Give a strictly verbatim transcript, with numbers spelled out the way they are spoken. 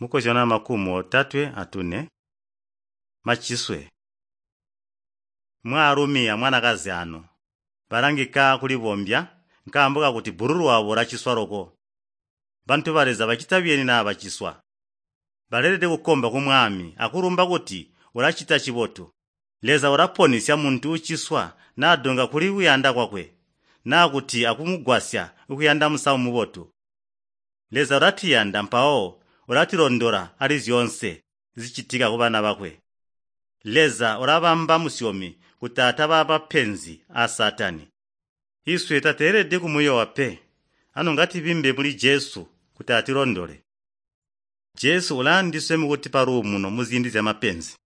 Mukozyano makumi otatwe atune. Maciswe. Mwaalumi amwanakazi ano balangika kulibombya nkaambo kakuti bbululu wabo ulaciswa loko. Bantu ba Leza bacita biyeni naa baciswa? Baleelede kukomba ku Mwami akulumba kuti ulacita cibotu. Leza ulaponisya muntu uciswa nadonga kuli kuyanda kwakwe, naa kuti akumugwasya kuyanda musamu mubotu. Leza ulatuyanda mpawo ulatilondola ali zyoonse zicitika kubana bakwe. Leza ulabamba musyomi kuti ataba mapenzi aa Saatani. Iswe tateelede kumuyoowa pe, anu ngatibimbe muli Jesu kuti atilondole. Jesu ulaandiswe mukutipa luumuno muziindi zyamapenzi.